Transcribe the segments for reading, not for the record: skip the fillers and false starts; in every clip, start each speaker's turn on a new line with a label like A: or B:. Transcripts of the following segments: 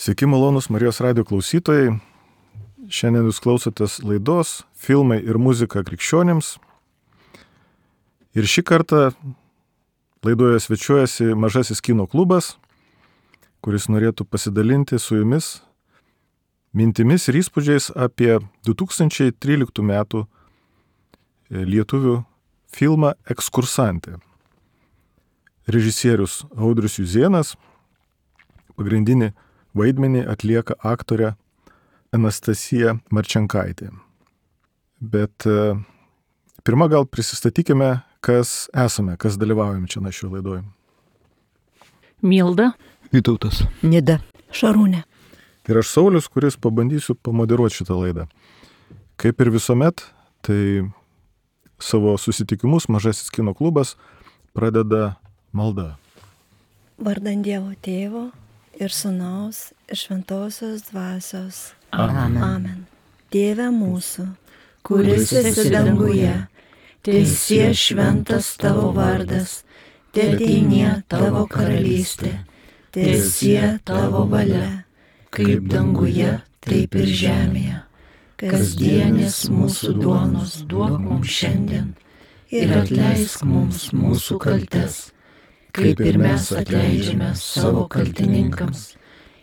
A: Sveiki malonus Marijos radijo klausytojai. Šiandien jūs klausotės laidos Filmai ir muzika krikščionims. Ir šį kartą laidoje svečiuojasi Mažasis kino klubas, kuris norėtų pasidalinti su jumis mintimis ir įspūdžiais apie 2013 metų lietuvių filmą Ekskursantė. Režisierius Audrius Juzėnas, pagrindinį vaidmenį atlieka aktorė Anastasija Marčenkaitė. Bet pirmą gal prisistatykime, kas esame, kas dalyvaujame čia šioje laidoje.
B: Milda.
C: Vytautas.
D: Nida. Šarūnė.
A: Ir aš Saulius, kuris pabandysiu pamoderuoti šitą laidą. Kaip ir visuomet, tai savo susitikimus Mažasis kino klubas pradeda malda.
E: Vardan Dievo Tėvo ir Sūnaus ir Šventosios Dvasios.
D: Amen.
E: Amen. Tėve mūsų, kuris esi danguje, teesie šventas tavo vardas, teateinie tavo karalystė, teesie tavo valia, kaip danguje, taip ir žemėje. Kasdienės mūsų duonos duok mums šiandien ir atleisk mums mūsų kaltes, kaip ir mes atleidžiame savo kaltininkams.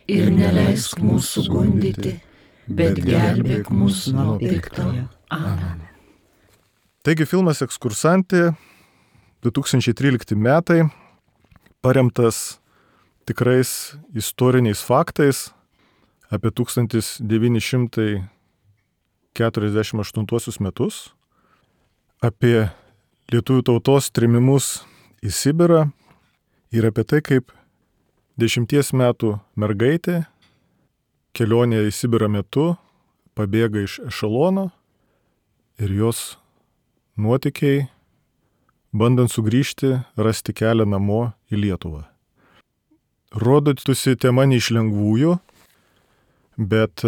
E: Ir neleisk mūsų gundyti, bet gelbėk mūsų nuo piktojo. Amen.
A: Taigi filmas Ekskursantė 2013 metai, paremtas tikrais istoriniais faktais apie 1948 metus, apie lietuvių tautos trėmimus į Sibirą ir apie tai, kaip 10 metų mergaitė kelionėje į Sibirą metu pabėga iš ešelono ir jos nuotykiai, bandant sugrįžti, rasti kelią namo į Lietuvą. Rodytųsi tema ne iš lengvųjų, bet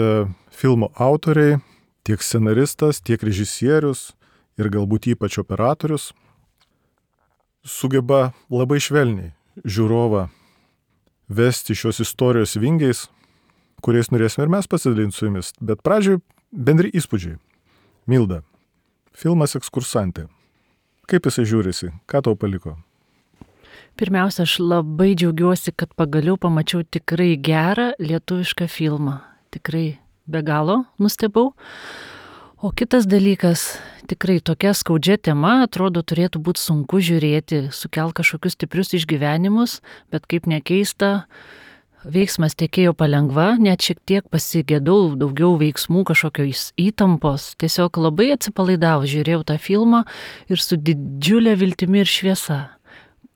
A: filmo autoriai, tiek scenaristas, tiek režisierius ir galbūt ypač operatorius sugeba labai švelniai žiūrovą vesti šios istorijos vingiais, kuriais norėsime ir mes pasidalinti su jumis. Bet pradžioj bendri įspūdžiai. Milda, filmas Ekskursantė. Kaip jisai žiūrisi? Ką tau paliko?
B: Pirmiausia, aš labai džiaugiuosi, kad pagaliau pamačiau tikrai gerą lietuvišką filmą. Tikrai be galo nustebau. O kitas dalykas, tikrai tokia skaudžia tema, atrodo, turėtų būti sunku žiūrėti, sukelt kažkokius stiprius išgyvenimus, bet kaip nekeista, veiksmas tekėjo palengva, net šiek tiek pasigėdau daugiau veiksmų, kažkokios įtampos, tiesiog labai atsipalaidavau, žiūrėjau tą filmą ir su didžiulė viltimi ir šviesa,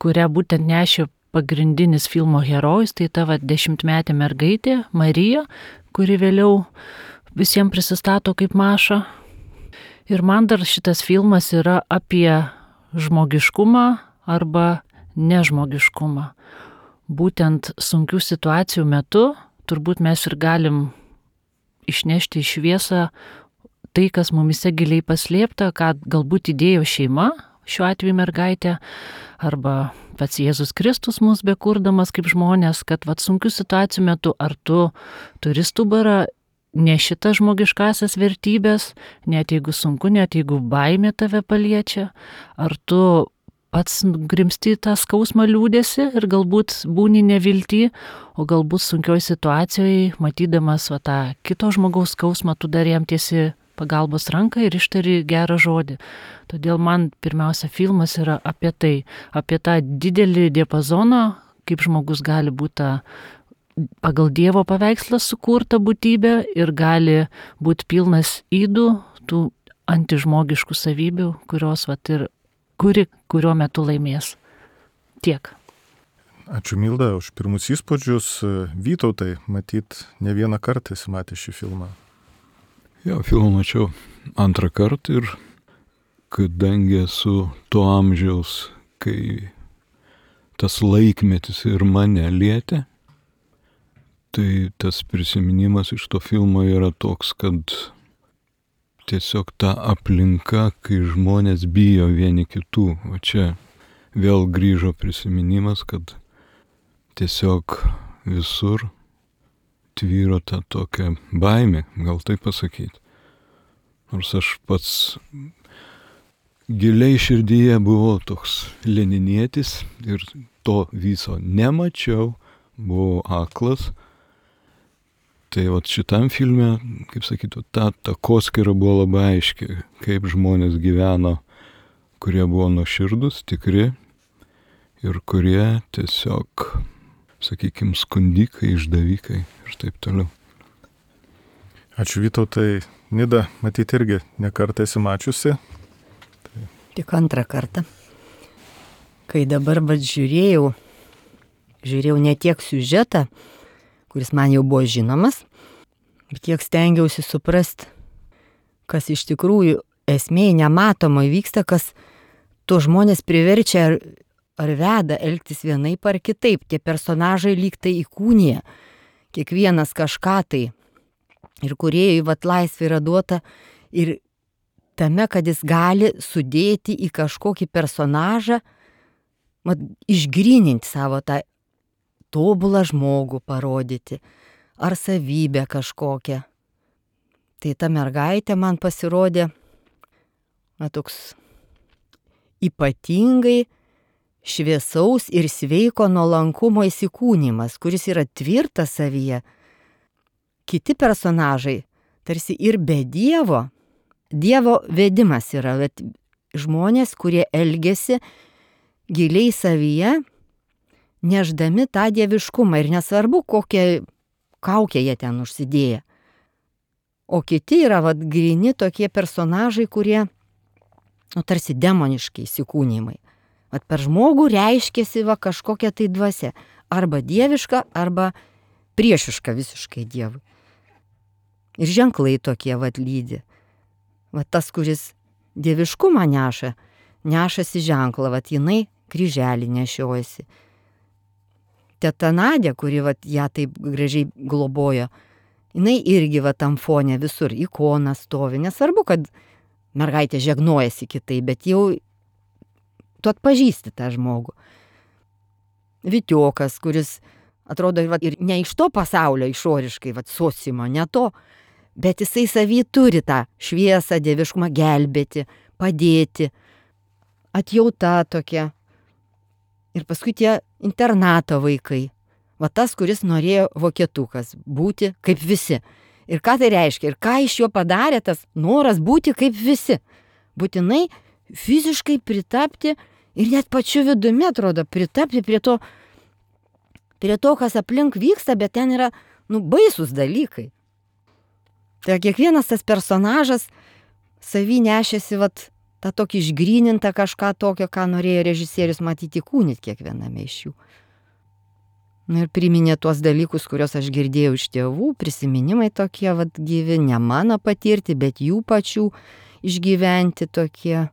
B: kurią būtent nešė pagrindinis filmo herojus, tai ta 10-metė mergaitė Marija, kuri vėliau visiems prisistato kaip Maša. Ir man dar šitas filmas yra apie žmogiškumą arba nežmogiškumą. Būtent sunkių situacijų metu turbūt mes ir galim išnešti į šviesą tai, kas mumise giliai paslėpta, ką galbūt įdėjo šeima, šiuo atveju mergaitė, arba pats Jėzus Kristus mus bekurdamas kaip žmonės, kad sunkių situacijų metu ar tu turi stuburą, ne šitas žmogiškasias vertybės, net jeigu sunku, net jeigu baimė tave paliečia, ar tu pats grimsti tą skausmą liūdėsi ir galbūt būni nevilty, o galbūt sunkioj situacijoje, matydamas tą kito žmogaus skausmą, tu dar jam tiesi pagalbos ranką ir ištari gerą žodį. Todėl man pirmiausia filmas yra apie tai, apie tą didelį diapazoną, kaip žmogus gali būti pagal Dievo paveikslą sukurta būtybė ir gali būti pilnas ydų, tų antižmogiškų savybių, kurios ir kuriuo metu laimės. Tiek.
A: Ačiū Milda už pirmus įspūdžius. Vytautai, matyt, ne vieną kartą esi matęs šį filmą.
C: Jo, filmą mačiau antrą kartą ir kadangi esu to amžiaus, kai tas laikmetis ir mane lietė, tai tas prisiminimas iš to filmo yra toks, kad tiesiog ta aplinka, kai žmonės bijo vieni kitų. O čia vėl grįžo prisiminimas, kad tiesiog visur tvyro ta tokia baimė, gal taip pasakyti. Nors aš pats giliai širdyje buvau toks leninietis ir to viso nemačiau, buvau aklas. Tai vat šitam filme, kaip sakytų, ta takoskyra buvo labai aiški, kaip žmonės gyveno, kurie buvo nuoširdus, tikri ir kurie tiesiog, sakykime, skundikai, išdavikai ir taip toliau.
A: Ačiū Vytautai. Nida, matyti irgi nekartą esi mačiusi.
E: Tik antrą kartą. Kai dabar žiūrėjau ne tiek siužetą, kuris man jau buvo žinomas, bet tiek stengiausi suprasti, kas iš tikrųjų esmėje nematomai vyksta, kas to žmonės priverčia ar veda elgtis vienaip ar kitaip. Tie personažai lyg tai įkūnija, kiekvienas kažką tai. Ir kūrėjui laisvė yra duota ir tame, kad jis gali sudėti į kažkokį personažą, išgryninti savo tą tobulą žmogų parodyti, ar savybę kažkokią. Tai ta mergaitė man pasirodė toks ypatingai šviesaus ir sveiko nuolankumo įsikūnymas, kuris yra tvirtas savyje. Kiti personažai, tarsi ir be Dievo vedimas yra, bet žmonės, kurie elgesi giliai savyje, neždami tą dieviškumą ir nesvarbu, kokią kaukę jie ten užsidėję. O kiti yra gryni tokie personažai, kurie tarsi demoniški įsikūnymai. Per žmogų reiškėsi kažkokia tai dvasia, arba dieviška, arba priešiška visiškai Dievui. Ir ženklai tokie lydi. Tas, kuris dieviškumą nešasi ženklą, jinai kryželį nešiojasi. Teta Nadė, kuri ją taip gražiai globojo, jinai irgi tam fone visur ikona stovi. Nesvarbu, kad mergaitė žegnojasi kitai, bet jau tu atpažįsti tą žmogų. Vitiokas, kuris atrodo ir ne iš to pasaulio išoriškai, sociumo, ne to, bet jisai savy turi tą šviesą, dieviškumą, gelbėti, padėti, atjauta tokia. Ir paskui tie internato vaikai. Tas, kuris norėjo vokietukas, būti kaip visi. Ir ką tai reiškia? Ir ką iš jo padarė tas noras būti kaip visi? Būtinai fiziškai pritapti ir net pačiu vidumi, atrodo, pritapti prie to, kas aplink vyksta, bet ten yra, baisus dalykai. Tai kiekvienas tas personažas savy nešėsi tą tokį išgrynintą kažką tokio, ką norėjo režisierius matyti kūnit kiekviename iš jų. Ir priminė tuos dalykus, kuriuos aš girdėjau iš tėvų, prisiminimai tokie gyvi, ne mano patirti, bet jų pačių išgyventi tokie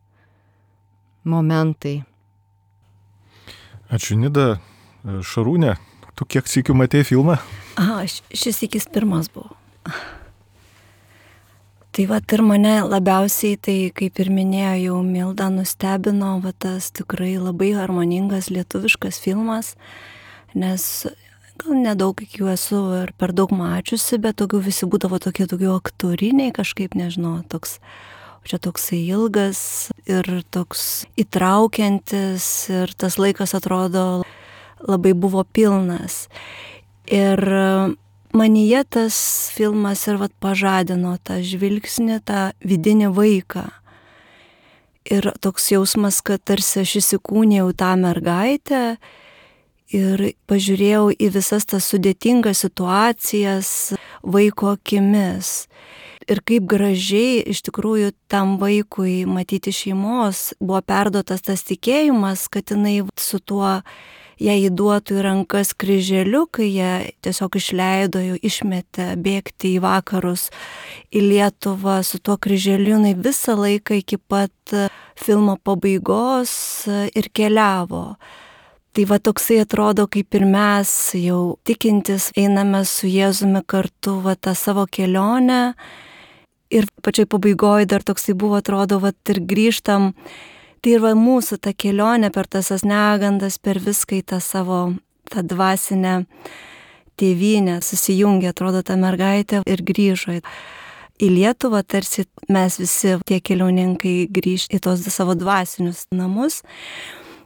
E: momentai.
A: Ačiū Nida. Šarūnė, tu kiek sykių matei filmą?
D: Šis sykis pirmas buvo. Tai ir mane labiausiai, tai kaip ir minėjo jau Milda, nustebino tas tikrai labai harmoningas lietuviškas filmas, nes gal nedaug iki jų esu ir per daug mačiusi, bet daugiau visi būdavo tokie daugiau aktoriniai kažkaip, nežinau, čia toksai ilgas ir toks įtraukiantis ir tas laikas atrodo labai buvo pilnas. Ir manyje tas filmas ir pažadino tą žvilgsnį, tą vidinį vaiką. Ir toks jausmas, kad tarsi aš įsikūnijau tą mergaitę ir pažiūrėjau į visas tas sudėtingas situacijas vaiko akimis. Ir kaip gražiai iš tikrųjų tam vaikui matyti šeimos buvo perduotas tas tikėjimas, kad jinai su tuo jai įduotų į rankas kryželiu, kai jie tiesiog išleido, jau išmetė bėgti į vakarus, į Lietuvą su tuo kryželiu, jinai visą laiką iki pat filmo pabaigos ir keliavo. Tai toksai atrodo, kaip ir mes jau tikintis einame su Jėzumi kartu tą savo kelionę ir pačioj pabaigoje dar toksai buvo, atrodo, ir grįžtam. Tai ir mūsų ta kelionė per tas negandas, per viską į tą savo tą dvasinę tėvynė susijungė, atrodo, ta mergaitė ir grįžo į Lietuvą, tarsi mes visi tie keliauninkai grįž į tos savo dvasinius namus.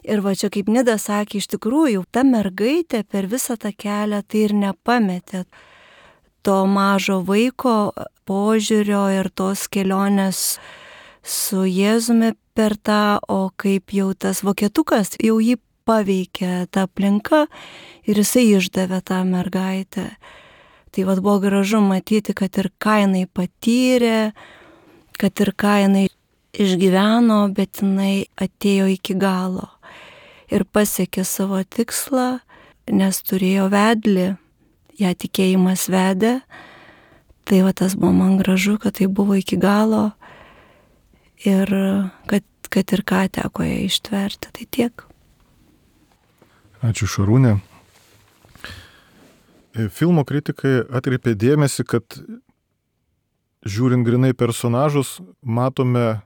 D: Ir va čia, kaip Nida sakė, iš tikrųjų, ta mergaitė per visą tą kelią tai ir nepametė to mažo vaiko požiūrio ir tos kelionės su Jėzumi per tą, o kaip jau tas vokietukas jau jį paveikė ta aplinka ir jisai išdavė tą mergaitę. Tai vad buvo gražu matyti, kad ir ką jinai patyrė, kad ir ką jinai išgyveno, bet jinai atėjo iki galo ir pasiekė savo tikslą, nes turėjo vedlį, ją tikėjimas vedė. Tai va tas buvo man gražu, kad tai buvo iki galo ir kad ir ką teko ją ištverti. Tai tiek.
A: Ačiū, Šarūnė. Filmo kritikai atkreipė dėmesį, kad žiūrint grinai personažus, matome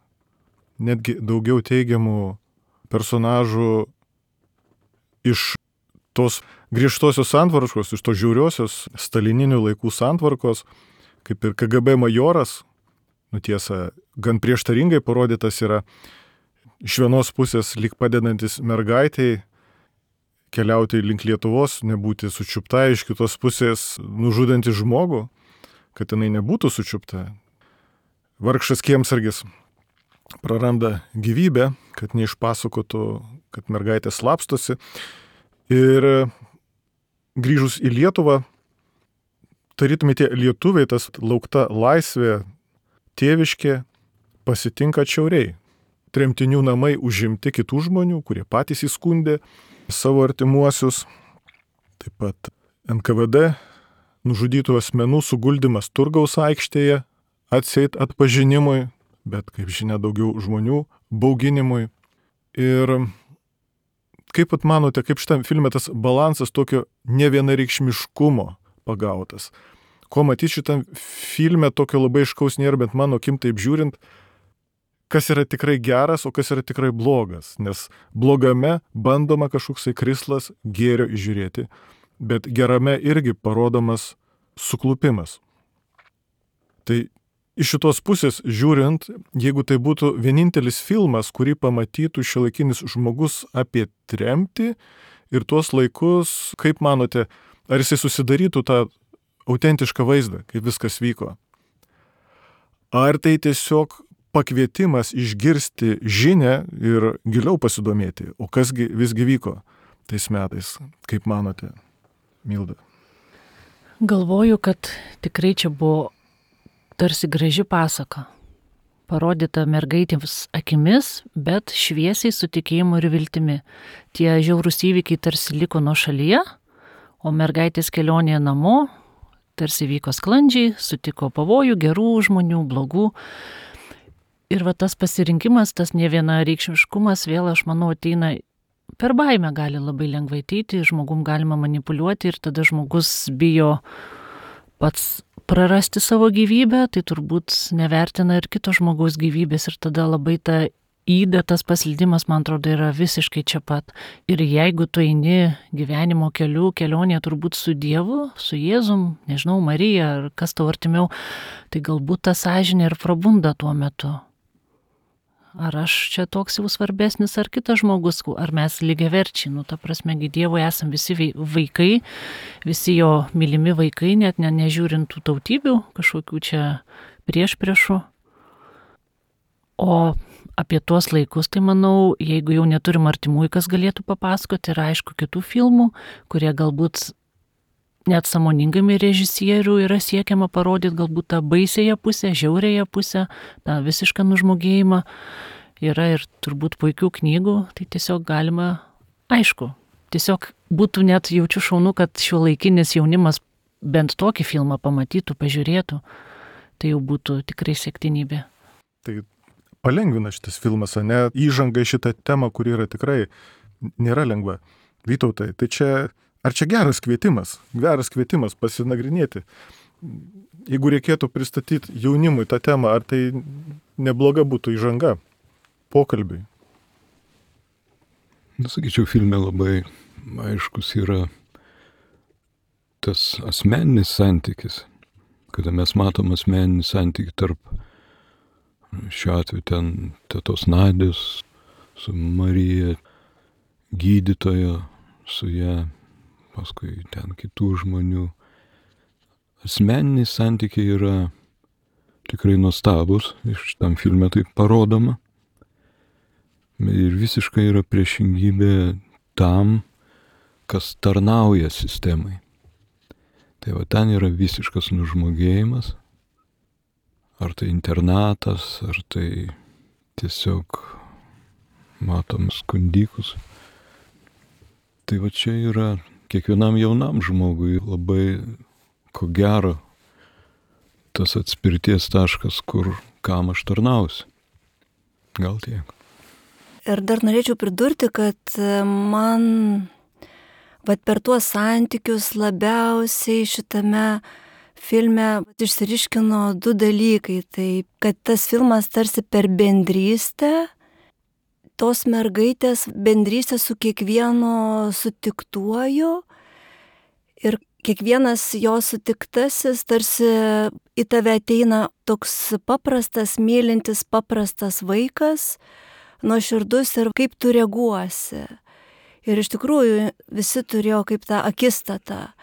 A: netgi daugiau teigiamų personažų iš tos griežtosios santvarkos, iš tos žiauriosios stalininių laikų santvarkos, kaip ir KGB majoras, tiesa, gan prieštaringai parodytas yra iš vienos pusės lyg padedantis mergaitei keliauti link Lietuvos, nebūti sučiupta, iš kitos pusės nužudanti žmogų, kad jinai nebūtų sučiupta. Vargšas kiemsargis praranda gyvybę, kad neišpasakotų, kad mergaitė slapstosi. Ir grįžus į Lietuvą, tarytumai tie lietuviai, tas laukta laisvė, tėviškė, pasitinka atšiauriai. Tremtinių namai užimti kitų žmonių, kurie patys įskundė savo artimuosius. Taip pat NKVD nužudytų asmenų suguldymas Turgaus aikštėje, atseit atpažinimui, bet kaip žinia daugiau žmonių bauginimui. Ir kaip pat manote, kaip šitam filme tas balansas tokio nevienareikšmiškumo pagautas? Ko matyti šitam filme tokio labai aiškaus nėra, bet mano akim taip žiūrint, kas yra tikrai geras, o kas yra tikrai blogas. Nes blogame bandoma kažkoksai krislas gėrio įžiūrėti, bet gerame irgi parodomas suklupimas. Tai iš šitos pusės žiūrint, jeigu tai būtų vienintelis filmas, kurį pamatytų šiuolaikinis žmogus apie tremtį ir tuos laikus, kaip manote, ar jisai susidarytų tą autentišką vaizdą, kaip viskas vyko? Ar tai tiesiog pakvietimas išgirsti žinią ir giliau pasidomėti, o kasgi visgi vyko tais metais, kaip manote, Milda?
B: Galvoju, kad tikrai čia buvo tarsi graži pasaka, parodyta mergaitėms akimis, bet šviesiai su tikėjimu ir viltimi. Tie žiaurūs įvykiai tarsi liko nuo šalyje, o mergaitės kelionėje namo tarsi vyko sklandžiai, sutiko pavojų, gerų žmonių, blogų. Ir va tas pasirinkimas, tas nevienareikšmiškumas vėl, aš manau, ateina per baimę, gali labai lengvai ateiti, žmogum galima manipuliuoti ir tada žmogus bijo pats prarasti savo gyvybę, tai turbūt nevertina ir kito žmogaus gyvybės ir tada labai ta įda, tas paslydimas, man atrodo, yra visiškai čia pat. Ir jeigu tu eini gyvenimo keliu, kelionė turbūt su Dievu, su Jėzum, nežinau, Marija ar kas tau artimiau, tai galbūt ta sąžinė ir prabunda tuo metu. Ar aš čia toks jau svarbesnis, ar kitas žmogus, ar mes lygiaverčiai, ta prasme, Dievui esam visi vaikai, visi jo mylimi vaikai, net nežiūrint tų tautybių, kažkokių čia priešpriešų. O apie tuos laikus, tai manau, jeigu jau neturim artimųjų, kas galėtų papasakoti, ir aišku kitų filmų, kurie galbūt net sąmoningai režisierių yra siekiama parodyti galbūt tą baisėją pusę, žiaurėją pusę, tą visišką nužmogėjimą. Yra ir turbūt puikių knygų, tai tiesiog galima, aišku, tiesiog būtų net jaučiu šaunu, kad šiuolaikinis jaunimas bent tokį filmą pamatytų, pažiūrėtų, tai jau būtų tikrai siektinybė.
A: Tai palengvina šitas filmas, ne įžanga į šitą temą, kuri yra tikrai nėra lengva. Vytautai, tai čia ar čia geras kvietimas pasinagrinėti? Jeigu reikėtų pristatyti jaunimui tą temą, ar tai nebloga būtų įžanga pokalbiui?
C: Sakyčiau, filme labai aiškus yra tas asmeninis santykis, kada mes matom asmeninį santykį tarp, šiuo atveju ten tetos Nadios, su Marija, gydytojo, su ją, paskui ten kitų žmonių. Asmeniniai santykiai yra tikrai nuostabus, iš tam filme tai parodoma. Ir visiškai yra priešingybė tam, kas tarnauja sistemai. Tai va ten yra visiškas nužmogėjimas. Ar tai internatas, ar tai tiesiog matom skundikus. Tai va čia yra kiekvienam jaunam žmogui labai, ko gero, tas atspirties taškas, kur kam aš tarnausiu. Gal tiek.
D: Ir dar norėčiau pridurti, kad man per tuos santykius labiausiai šitame filme išsiriškino du dalykai. Tai, kad tas filmas tarsi per bendrystę, tos mergaitės bendrystę su kiekvienu sutiktuoju ir kiekvienas jo sutiktasis tarsi į tave ateina toks paprastas, mylintis, paprastas vaikas, nuoširdus ir kaip tu reaguosi. Ir iš tikrųjų visi turėjo kaip tą akistatą.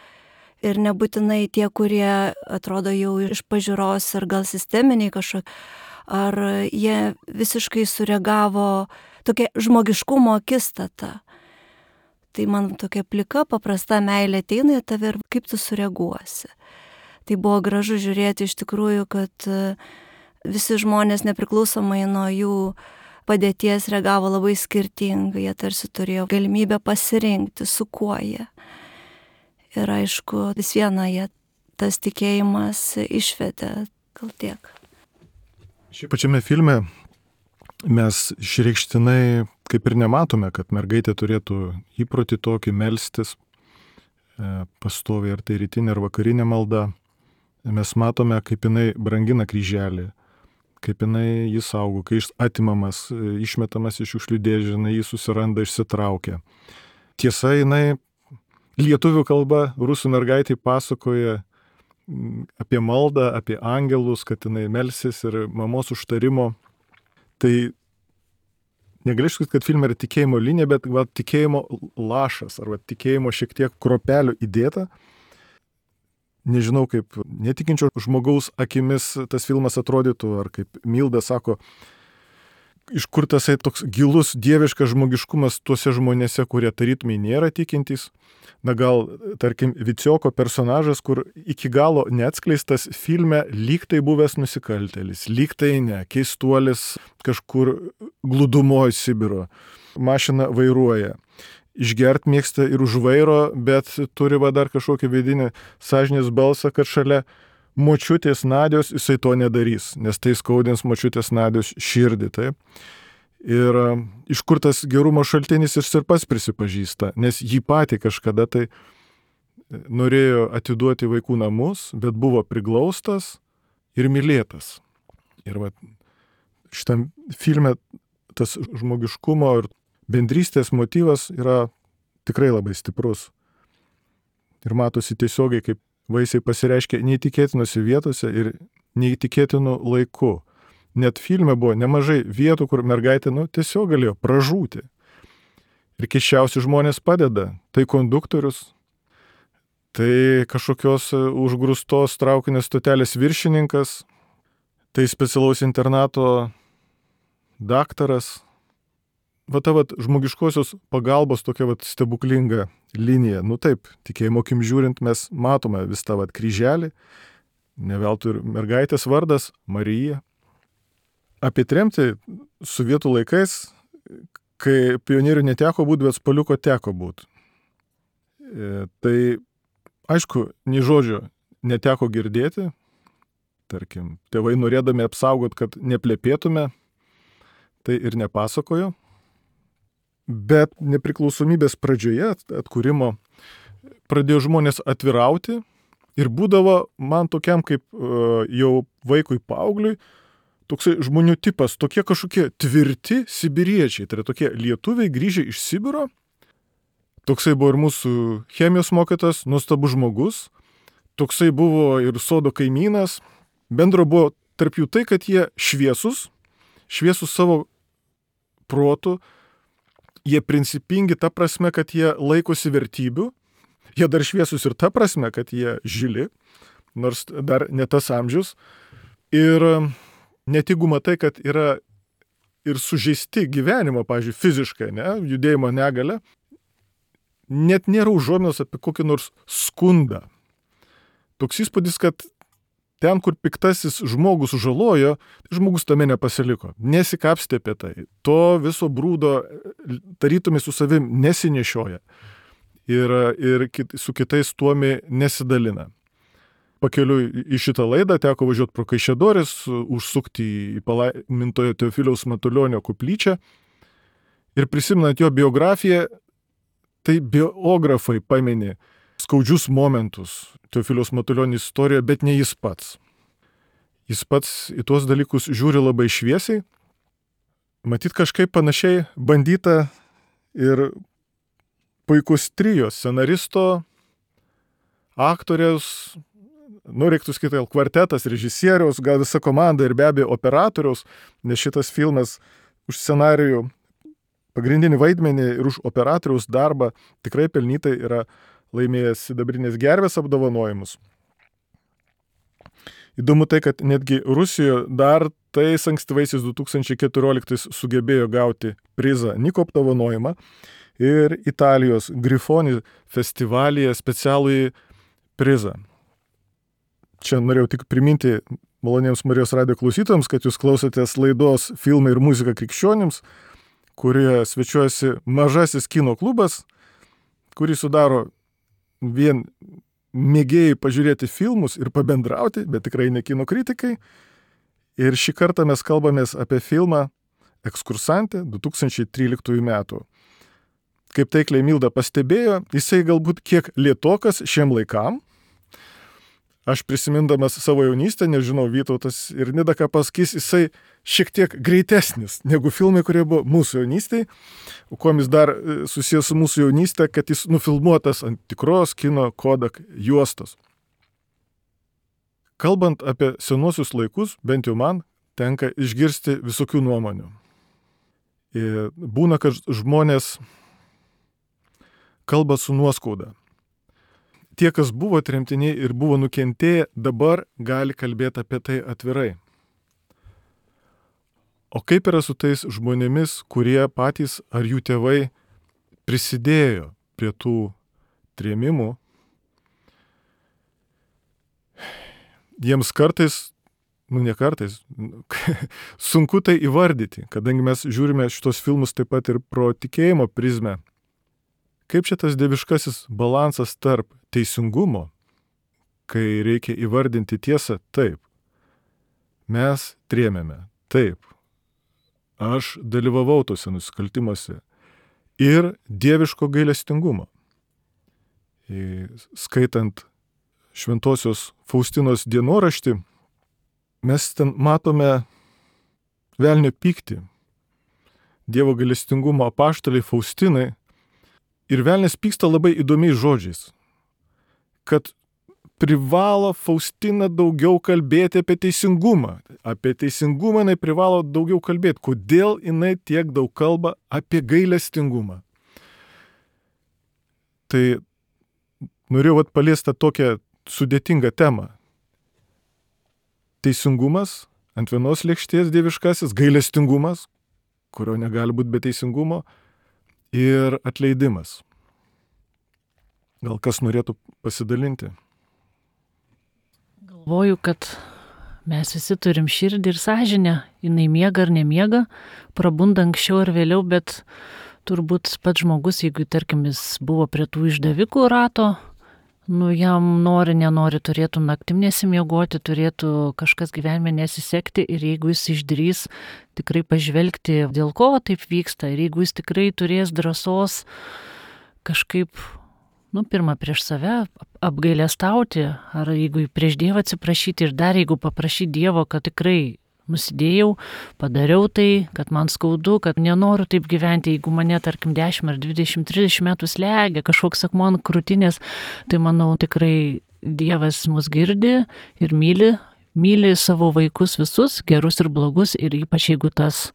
D: Ir nebūtinai tie, kurie atrodo jau iš pažiūros ir gal sisteminiai kažkokie, ar jie visiškai sureagavo tokia žmogiškumo akistata. Tai man tokia plika, paprasta meilė ateina į tave ir kaip tu sureaguosi. Tai buvo gražu žiūrėti iš tikrųjų, kad visi žmonės nepriklausomai nuo jų padėties reagavo labai skirtingai, jie tarsi turėjo galimybę pasirinkti, su kuo jie. Ir aišku, vis viena jie tas tikėjimas išvedė, gal tiek.
A: Šiaip pačiame filme mes išreikštinai kaip ir nematome, kad mergaitė turėtų įprotį tokį melstis, pastoviai ar tai rytinė ar vakarinė malda. Mes matome, kaip jinai brangina kryželį, kaip jinai jį saugo, kai jis atimamas, išmetamas iš šiukšlių dėžės, jinai jį susiranda, išsitraukia. Tiesa, jinai lietuvių kalba rusų mergaitai pasakoja apie maldą, apie angelus, kad jinai melsis ir mamos užtarimo. Tai negalėčiau sakyti, kad filme yra tikėjimo linija, bet tikėjimo lašas, arba tikėjimo šiek tiek kropelių įdėta. Nežinau, kaip netikinčio žmogaus akimis tas filmas atrodytų, ar kaip Milda sako, iš kur tasai toks gilus dieviškas žmogiškumas tuose žmonėse, kurie tarytumai nėra tikintys. Na gal, tarkim, Vicioko personažas, kur iki galo neatskleistas filme, lyg tai buvęs nusikaltėlis, lyg tai ne, keistuolis kažkur glūdumoje Sibiro, mašiną vairuoja. Išgert mėgsta ir už vairo, bet turi dar kažkokį vidinį sąžinės balsą, kad šalia močiutės Nadios jisai to nedarys, nes tai skaudins močiutės Nadios širdį. Taip. Ir iš kur tas gerumo šaltinis jis ir pats prisipažįsta, nes jį patį kažkada tai norėjo atiduoti vaikų namus, bet buvo priglaustas ir mylėtas. Ir šitam filme tas žmogiškumo ir bendrystės motyvas yra tikrai labai stiprus. Ir matosi tiesiogiai, kaip vaisiai pasireiškia neįtikėtinose vietose ir neįtikėtinu laiku. Net filme buvo nemažai vietų, kur mergaitė tiesiog galėjo pražūti. Ir keisčiausi žmonės padeda. Tai konduktorius, tai kažkokios užgrūstos traukinės stotelės viršininkas, tai specialaus internato daktaras. Ta žmogiškosios pagalbos tokia stebuklinga linija. Taip, tikėjimo akim žiūrint, mes matome vis tą kryželį, ne veltui ir mergaitės vardas Marija. Apie tremtį sovietų laikais, kai pionierių neteko būti, bet spaliuko teko būti. Tai, aišku, nei žodžio neteko girdėti. Tarkim, tėvai norėdami apsaugot, kad neplepėtume, tai ir nepasakojo. Bet nepriklausomybės pradžioje atkūrimo pradėjo žmonės atvirauti ir būdavo man tokiam kaip jau vaikui paaugliui toksai žmonių tipas, tokie kažkokie tvirti sibiriečiai, tai yra tokie lietuviai grįžę iš Sibiro. Toksai buvo ir mūsų chemijos mokytas, nuostabus žmogus, toksai buvo ir sodo kaimynas. Bendro buvo tarp jų tai, kad jie šviesus savo protu, jie principingi ta prasme, kad jie laikosi vertybių, jie dar šviesus ir ta prasme, kad jie žili, nors dar ne tas amžius. Ir net jeigu matai, kad yra ir sužeisti gyvenimo, pavyzdžiui, fiziškai, judėjimo negalia, net nėra užuominos apie kokį nors skundą. Toks įspūdis, kad ten, kur piktasis žmogus sužalojo, žmogus tame nepasiliko, nesikapstė apie tai. To viso brūdo tarytumai su savim nesinešioja ir su kitais tuomi nesidalina. Pakeliui į šitą laidą teko važiuoti pro Kaišiadorės, užsukti į palaimintojo Teofiliaus Matulionio koplyčią ir prisimenant jo biografiją, tai biografai pamini skaudžius momentus Teofiliaus Matulionio istorijoje, bet ne jis pats. Jis pats į tuos dalykus žiūri labai šviesiai. Matyt, kažkaip panašiai bandyta ir puikus trio scenaristo, aktoriaus, reiktų skaityti kvartetas, režisieriaus, gal visa komanda ir be abejo operatoriaus, nes šitas filmas už scenarijų pagrindinį vaidmenį ir už operatoriaus darbą tikrai pelnytai yra laimėjęs sidabrinės gervės apdovanojimus. Įdomu tai, kad netgi Rusijoje dar tais ankstyvaisiais 2014 sugebėjo gauti prizą Niko apdovanojimą ir Italijos Grifoni festivalyje specialųjį prizą. Čia norėjau tik priminti maloniems Marijos radijo klausytojams, kad jūs klausotės laidos Filmai ir muzika krikščionims, kurioje svečiuojasi mažasis kino klubas, kurį sudaro vien mėgėjai pažiūrėti filmus ir pabendrauti, bet tikrai ne kino kritikai. Ir šį kartą mes kalbamės apie filmą Ekskursantė 2013 metų. Kaip taikliai Milda pastebėjo, jisai galbūt kiek lėtokas šiem laikam. Aš prisimindamas savo jaunystę, nežinau, Vytautas ir Nida ką pasakys, jisai šiek tiek greitesnis negu filmai, kurie buvo mūsų jaunystėje. O kuom jis dar susijęs su mūsų jaunystė, kad jis nufilmuotas ant tikros kino Kodak juostos. Kalbant apie senuosius laikus, bent jau man, tenka išgirsti visokių nuomonių. Ir būna, kad žmonės kalba su nuoskauda. Tie, kas buvo tremtiniai ir buvo nukentėję, dabar gali kalbėti apie tai atvirai. O kaip yra su tais žmonėmis, kurie patys ar jų tėvai prisidėjo prie tų trėmimų? Jiems kartais, ne kartais, sunku tai įvardyti, kadangi mes žiūrime šitos filmus taip pat ir pro tikėjimo prizmę. Kaip čia tas dieviškasis balansas tarp teisingumo, kai reikia įvardinti tiesą, taip, mes trėmėme, taip, aš dalyvavau tose nusikaltimuose ir dieviško gailestingumo. Skaitant Šventosios Faustinos dienoraštį, mes ten matome velnio pyktį, Dievo gailestingumo apaštalei Faustinai. Ir velnias pyksta labai įdomiais žodžiais, kad privalo Faustina daugiau kalbėti apie teisingumą. Apie teisingumą jinai privalo daugiau kalbėti. Kodėl jinai tiek daug kalba apie gailestingumą? Tai norėjau paliesti tokią sudėtingą temą. Teisingumas ant vienos lėkštės dieviškasis, gailestingumas, kurio negali būti be teisingumo, ir atleidimas. Gal kas norėtų pasidalinti?
B: Galvoju, kad mes visi turim širdį ir sąžinę. Jinai miega ar nemiega, prabunda anksčiau ar vėliau, bet turbūt pats žmogus, jeigu, tarkim, jis buvo prie tų išdavikų rato, jam nenori, turėtų naktim nesimiegoti, turėtų kažkas gyvenime nesisekti ir jeigu jis išdrys tikrai pažvelgti, dėl ko taip vyksta ir jeigu jis tikrai turės drąsos kažkaip, pirmą prieš save apgailestauti, ar jeigu prieš Dievą atsiprašyti ir dar jeigu paprašyti Dievo, kad tikrai nusidėjau, padariau tai, kad man skaudu, kad nenoriu taip gyventi, jeigu mane, tarkim, 10 ar 20, 30 metų slegia kažkoks akmuo ant krūtinės, tai manau tikrai Dievas mus girdi ir myli savo vaikus visus, gerus ir blogus, ir ypač jeigu tas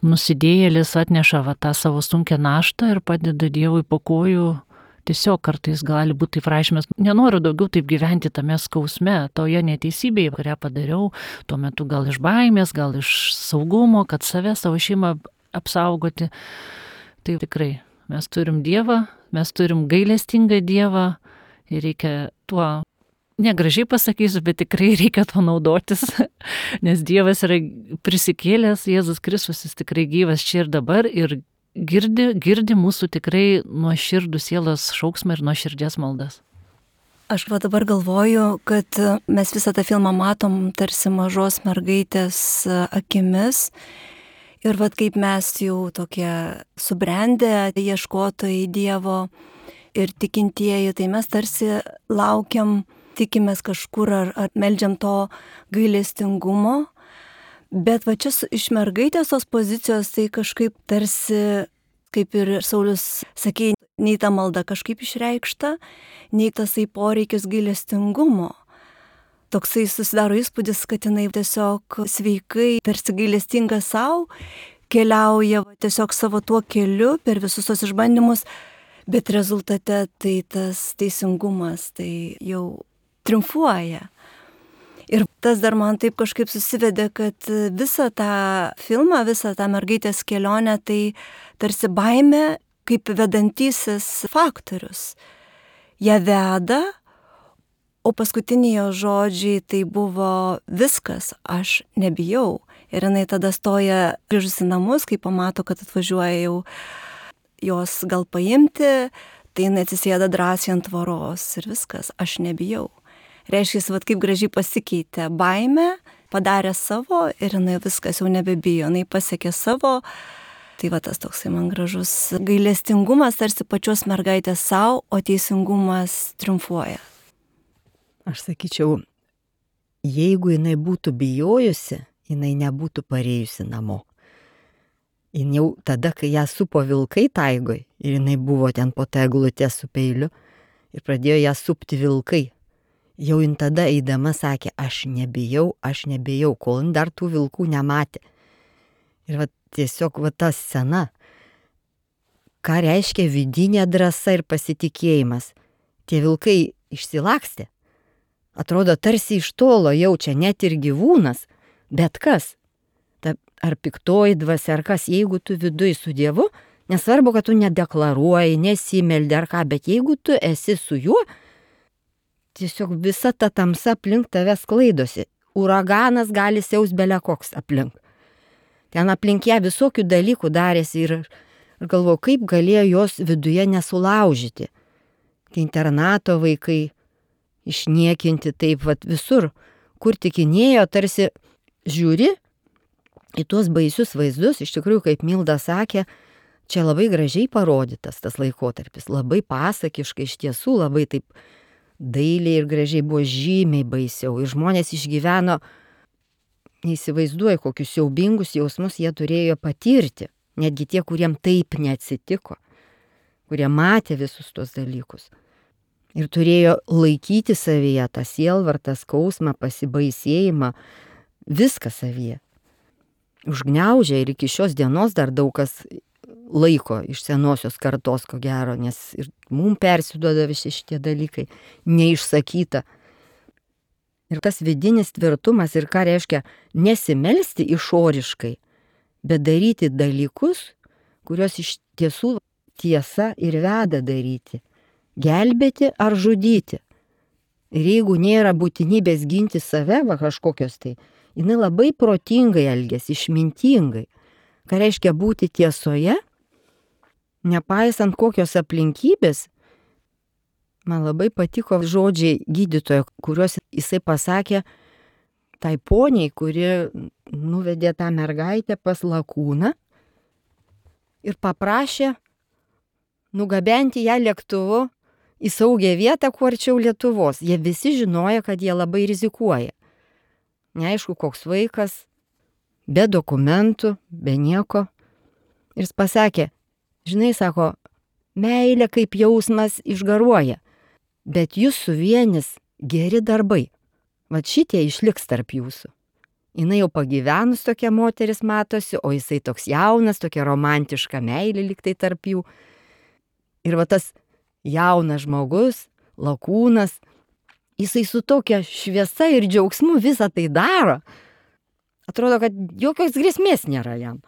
B: nusidėjėlis atneša tą savo sunkią naštą ir padeda Dievui po kojų, tiesiog kartais gali būti taip rašymas, nenoriu daugiau taip gyventi tame skausme, toje neteisybėje, kurią padariau, tuo metu gal iš baimės, gal iš saugumo, kad savo šeimą apsaugoti. Tai tikrai, mes turim Dievą, mes turim gailestingą Dievą ir reikia tuo, negražiai pasakysiu, bet tikrai reikia to naudotis, nes Dievas yra prisikėlęs, Jėzus Kristus, jis tikrai gyvas čia ir dabar ir girdi mūsų tikrai nuoširdų sielos šauksmą ir nuoširdžias maldas.
D: Aš dabar galvoju, kad mes visą tą filmą matom tarsi mažos mergaitės akimis ir kaip mes jau tokie subrendę ieškotojai Dievo ir tikintieji, tai mes tarsi laukiam, tikimės kažkur ar meldžiam to gailestingumo, bet čia iš mergaitės tos pozicijos tai kažkaip tarsi, kaip ir Saulius sakė, nei ta malda kažkaip išreikšta, nei tasai poreikis gailestingumo. Toksai susidaro įspūdis, kad jinai tiesiog sveikai, tarsi gailestinga savo, keliauja tiesiog savo tuo keliu per visus tos išbandymus, bet rezultate tai tas teisingumas tai jau triumfuoja. Ir tas dar man taip kažkaip susivedė, kad visą tą filmą, visą tą mergaitės kelionę, tai tarsi baimė kaip vedantysis faktorius. Ją veda, o paskutiniai jo žodžiai tai buvo viskas, aš nebijau. Ir jinai tada stoja grįžusi namus, kai pamato, kad atvažiuoja jau jos gal paimti, tai jinai atsisėda drąsiai ant tvoros ir viskas, aš nebijau. Reiškia, kaip gražiai pasikeitė baimė, padarė savo ir jinai viskas jau nebebijo, jinai pasiekė savo. Tai tas toksai man gražus gailestingumas tarsi pačios mergaitės savo, o teisingumas triumfuoja.
E: Aš sakyčiau, jeigu jinai būtų bijojusi, jinai nebūtų parėjusi namo. Jin jau tada, kai ją supo vilkai taigoj ir jinai buvo ten po tą eglutę su peiliu ir pradėjo ją supti vilkai. Jau jin tada eidama sakė, aš nebijau, kol jin dar tų vilkų nematė. Ir tiesiog ta scena, ką reiškia vidinė drąsa ir pasitikėjimas. Tie vilkai išsilakstė. Atrodo, tarsi iš tolo jaučia net ir gyvūnas, bet kas? Ar piktoji dvasia, ar kas, jeigu tu viduj su Dievu, nesvarbu, kad tu nedeklaruoji, nesimeldi ar ką, bet jeigu tu esi su juo, tiesiog visa ta tamsa aplink tave sklaidosi. Uraganas gali siaus belia koks aplink. Ten aplink ją visokių dalykų darėsi ir galvoju, kaip galėjo jos viduje nesulaužyti. Tai internato vaikai išniekinti taip visur, kur tikinėjo, tarsi žiūri į tuos baisius vaizdus, iš tikrųjų, kaip Milda sakė, čia labai gražiai parodytas tas laikotarpis, labai pasakiškai, iš tiesų labai taip dailiai ir gražiai, buvo žymiai baisiau. Ir žmonės išgyveno, neįsivaizduoja, kokius siaubingus jausmus jie turėjo patirti. Netgi tie, kuriem taip neatsitiko, kurie matė visus tos dalykus. Ir turėjo laikyti savyje tą sielvartą, skausmą, pasibaisėjimą, viską savyje. Užgniaužė ir iki šios dienos dar daug kas laiko iš senosios kartos, ko gero, nes ir mums persiduoda visi šitie dalykai, neišsakyta. Ir tas vidinis tvirtumas ir ką reiškia nesimelsti išoriškai, bet daryti dalykus, kuriuos iš tiesų tiesa ir veda daryti. Gelbėti ar žudyti. Ir jeigu nėra būtinybės ginti save, kažkokios tai, jinai labai protingai elgiasi, išmintingai. Ką reiškia būti tiesoje, nepaisant kokios aplinkybės. Man labai patiko žodžiai gydytojo, kuriuos jisai pasakė tai poniai, kuri nuvedė tą mergaitę pas lakūną ir paprašė nugabenti ją lėktuvu į saugią vietą, kuo arčiau Lietuvos. Jie visi žinojo, kad jie labai rizikuoja. Neaišku, koks vaikas, be dokumentų, be nieko. Ir jis pasakė, žinai, sako, meilė kaip jausmas išgaruoja, bet jūs suvienys geri darbai. Vat šitie išliks tarp jūsų. Jinai jau pagyvenus tokia moteris matosi, o jisai toks jaunas, tokia romantiška meilė liktai tarp jų. Ir va tas jaunas žmogus, lakūnas, jisai su tokia šviesa ir džiaugsmu visą tai daro. Atrodo, kad jokios grėsmės nėra jam.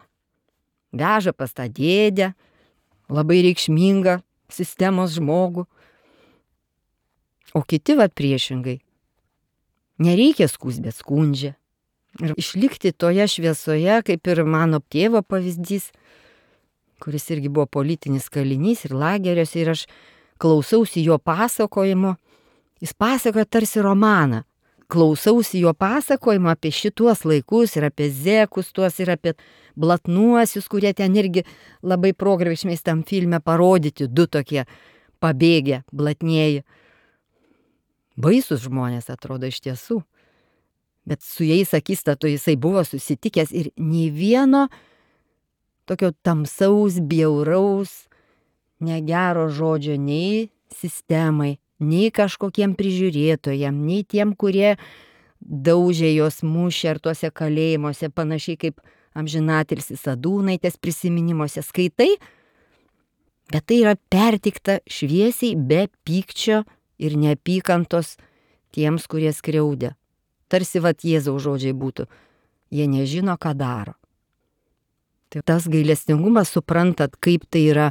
E: Veža pas tą dėdę, labai reikšmingą sistemos žmogų. O kiti va priešingai. Nereikia skųs, bet skundžia. Ir išlikti toje šviesoje, kaip ir mano tėvo pavyzdys, kuris irgi buvo politinis kalinys ir lageriuose, ir aš klausausi jo pasakojimo. Jis pasakoja tarsi romaną. Klausausi jo pasakojimo apie šituos laikus ir apie zekus tuos ir apie blatnuosius, kurie ten irgi labai progrevišmės tam filme parodyti, du tokie pabėgę, blatnieji. Baisus žmonės atrodo iš tiesų. Bet su jais akistatu jisai buvo susitikęs ir nei vieno tokio tamsaus, bjauraus, negero žodžio nei sistemai, nei kažkokiem prižiūrėtojam, nei tiem, kurie daužė jos mušė ar tuose kalėjimuose, panašiai kaip amžinatilsis Sadūnaitės prisiminimuose skaitai, bet tai yra pertikta šviesiai, be pykčio ir neapykantos tiems, kurie skriaudė. Tarsi vat Jėzaus žodžiai būtų, jie nežino, ką daro. Tai tas gailestingumas, suprantat, kaip tai yra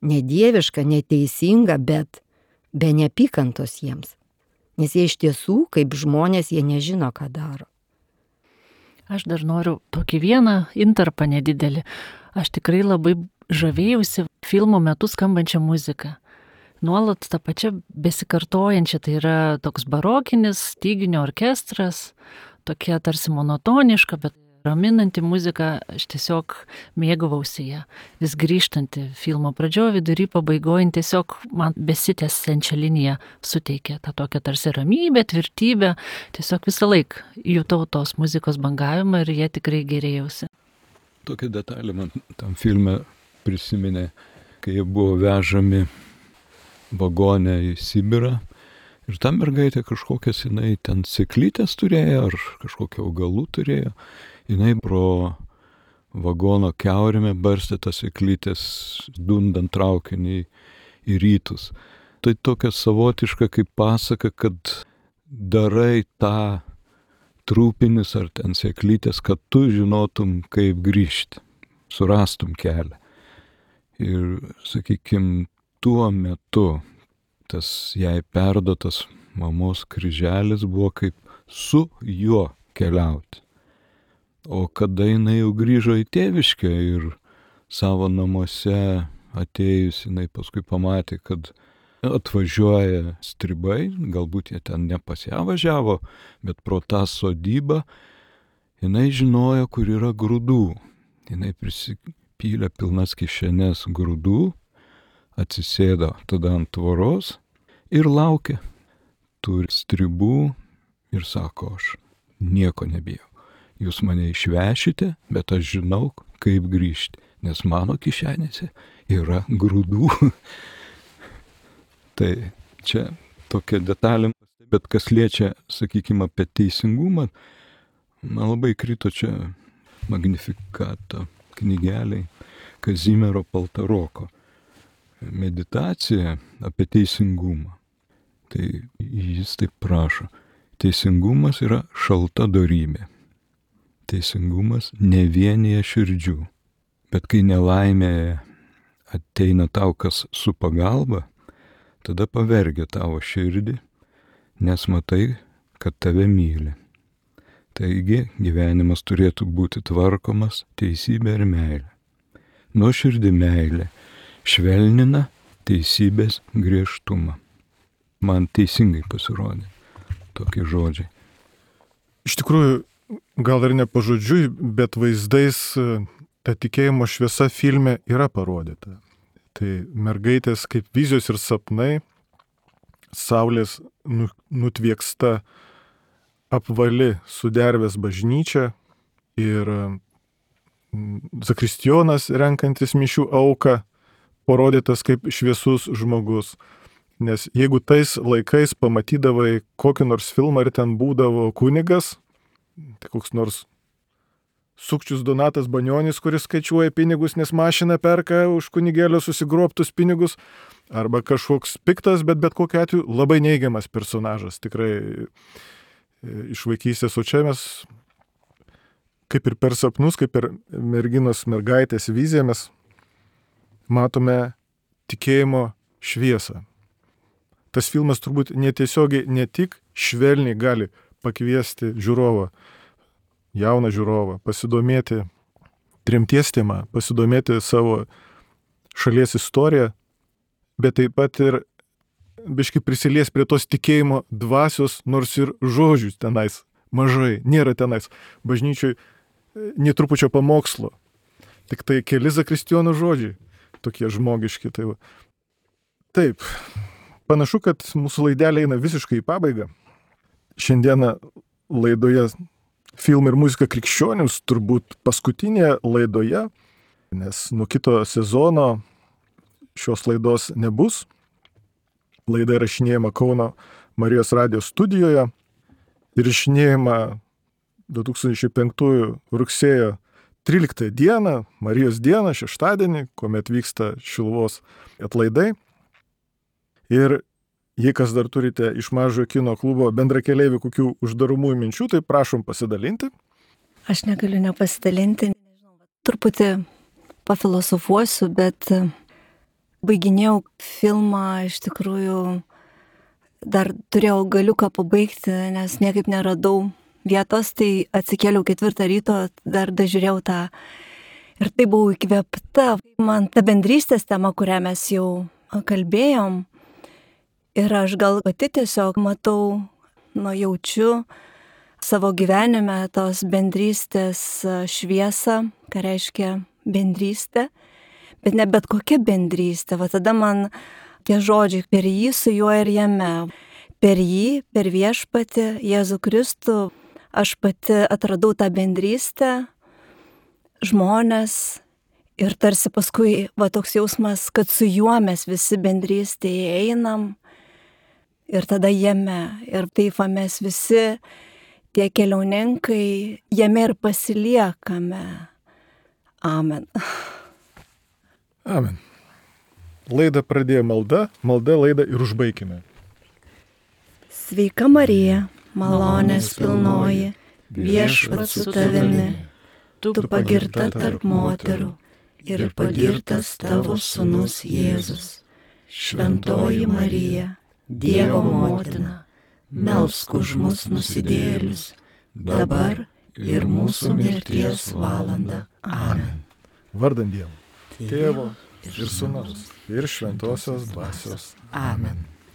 E: nedieviška, neteisinga, bet be neapykantos jiems. Nes jie iš tiesų, kaip žmonės, jie nežino, ką daro.
B: Aš dar noriu tokį vieną intarpą nedidelį. Aš tikrai labai žavėjausi filmo metu skambančią muziką. Nuolat tą pačią besikartojančią, tai yra toks barokinis styginio orkestras, tokia tarsi monotoniška, bet raminanti muzika, aš tiesiog mėgavausi ją. Vis grįžtanti filmo pradžioje, vidury pabaigoje, tiesiog man besitęsiančią liniją suteikė tą tokią tarsi ramybę, tvirtybę, tiesiog visą laiką jutau tos muzikos bangavimą ir jie tikrai gerėjausi.
C: Tokia detalė man tam filme prisiminė, kai jie buvo vežami vagone į Sibirą ir ta mergaitė kažkokias, jinai ten sėklytės turėjo ar kažkokią augalų turėjo, jinai pro vagono kiaurėme barstė tas sėklytės dundant traukinį į rytus. Tai tokia savotiška kaip pasaka, kad darai tą trūpinis ar ten sėklytės, kad tu žinotum, kaip grįžti, surastum kelią. Ir, sakykime, tuo metu tas jai perduotas mamos kryželis buvo kaip su juo keliauti. O kada jinai jau grįžo į tėviškę ir savo namuose atėjus, jinai paskui pamatė, kad atvažiuoja stribai, galbūt jie ten ne pas ją važiavo, bet pro tą sodybą, jinai žinojo, kur yra grūdų. Jinai prisipylė pilnas kišenes grūdų, atsisėdo tada ant tvoros ir laukė tų stribų ir sako, aš nieko nebijau. Jūs mane išvešite, bet aš žinau, kaip grįžti, nes mano kišenėse yra grūdų. Tai čia tokia detalė, bet kas liečia, sakykime, apie teisingumą, man labai krito čia Magnificato knygeliai Kazimiero Paltaroko. Meditacija apie teisingumą. Tai jis taip prašo. Teisingumas yra šalta dorybė. Teisingumas nevienyje širdžių. Bet kai nelaimė ateina tau kas su pagalba, tada pavergia tavo širdį, nes matai, kad tave myli. Taigi gyvenimas turėtų būti tvarkomas teisybė ir meilė. Nuoširdi meilė švelnina teisybės griežtumą. Man teisingai pasirodė tokie žodžiai.
A: Iš tikrųjų, gal ir ne pažodžiui, bet vaizdais ta tikėjimo šviesa filme yra parodyta. Tai mergaitės kaip vizijos ir sapnai, saulės nutvieksta apvali sudervės bažnyčia ir zakristijonas renkantis mišių auką, parodytas kaip šviesus žmogus. Nes jeigu tais laikais pamatydavai kokį nors filmą ir ten būdavo kunigas, tai koks nors Sukčius Donatas Banionis, kuris skaičiuoja pinigus, nes mašiną perka už kunigėlio susigrobtus pinigus, arba kažkoks piktas, bet kokiu atveju labai neigiamas personažas, tikrai iš vaikystės, o čia mes kaip ir per sapnus, kaip per mergaitės viziją mes matome tikėjimo šviesą. Tas filmas turbūt netiesiogiai ne tik švelniai gali pakviesti žiūrovą, jauną žiūrovą, pasidomėti tremties tema, pasidomėti savo šalies istoriją, bet taip pat ir biškai prisilies prie tos tikėjimo dvasios, nors ir žodžių tenais mažai, nėra tenais. Bažnyčioj netrupučio pamokslo, tik tai keli zakristijonų žodžiai, tokie žmogiški. Tai va. Taip, panašu, kad mūsų laidelė eina visiškai į pabaigą. Šiandieną laidoje Filmai ir muzika krikščionims turbūt paskutinėje laidoje, nes nuo kito sezono šios laidos nebus. Laida įrašinėjama Kauno Marijos radijos studijoje ir įrašinėjama 2005 rugsėjo 13 dieną, Marijos dieną, šeštadienį, kuomet vyksta Šiluvos atlaidai. Ir jei kas dar turite iš Mažojo kino klubo bendrakeleivių kokių uždaromųjų minčių, tai prašom pasidalinti.
D: Aš negaliu nepasidalinti. Truputį pafilosofuosiu, bet baiginėjau filmą, iš tikrųjų dar turėjau galiuką pabaigti, nes niekaip neradau vietos, tai atsikėliau 4 ryto, dar dažiūrėjau tą ir tai buvau įkvėpta. Man ta bendrystės tema, kurią mes jau kalbėjom, ir aš gal pati tiesiog matau, jaučiu savo gyvenime tos bendrystės šviesą, ką reiškia bendrystė, bet ne bet kokia bendrystė. Va tada man tie žodžiai per jį, su juo ir jame. Per jį, per viešpatį, Jėzų Kristų, aš pati atradau tą bendrystę, žmonės ir tarsi paskui toks jausmas, kad su juo mes visi bendrystėje einam. Ir tada jame, ir taip mes visi, tie keliauninkai, jame ir pasiliekame. Amen.
A: Amen. Laidą pradėjo malda laidą ir užbaikime.
D: Sveika Marija, malonės pilnoji, viešpats su tavimi, tu pagirta tarp moterų ir pagirtas tavo sūnus Jėzus. Šventoji Marija, Dievo motina, melsk už mus nusidėjėlius, dabar ir mūsų mirties valandą. Amen.
A: Vardant Dievo, Tėvo ir Sūnaus ir Šventosios Dvasios.
E: Amen.